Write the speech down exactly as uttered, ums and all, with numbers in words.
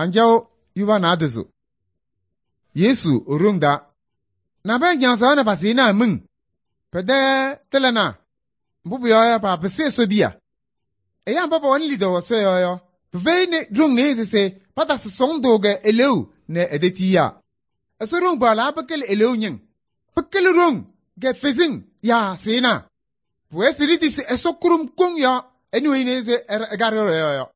Anjaɣ yuba naadozo. Yesu e-ɖoŋ taa. Nabɛyɛ ñaɣzaɣ nɛ pasɩɩnaa miŋ. Pɛ-tɛ tɩlanaa. Mbʋ pʋyɔɔ yɔ, paapɩsɩ Ɛsɔ piya. Ɛyaa mba pɛwɛnɩ lidaʋ Ɛsɔ yɔɔ yɔ, pɩfɛyɩnɩ ɖoŋ nɩɩyɩ se patasɩ sɔɔndʋ kɛ eleeu nɛ edetiyiyaa. Ɛsɔ ɖoŋ paɣlaa pɩkɩlɩ eleeu ñɩŋ. Pɩkɩlɩ ɖoŋ kɛ feziŋ yaa sɩɩnaa. Pʋwɛɛ se ɖitisi Ɛsɔ kʋɖʋm koŋ yɔɔ, ɛ nɛ weyini se ɛkaɖɩ ɖɔ-yɔɔ yɔ.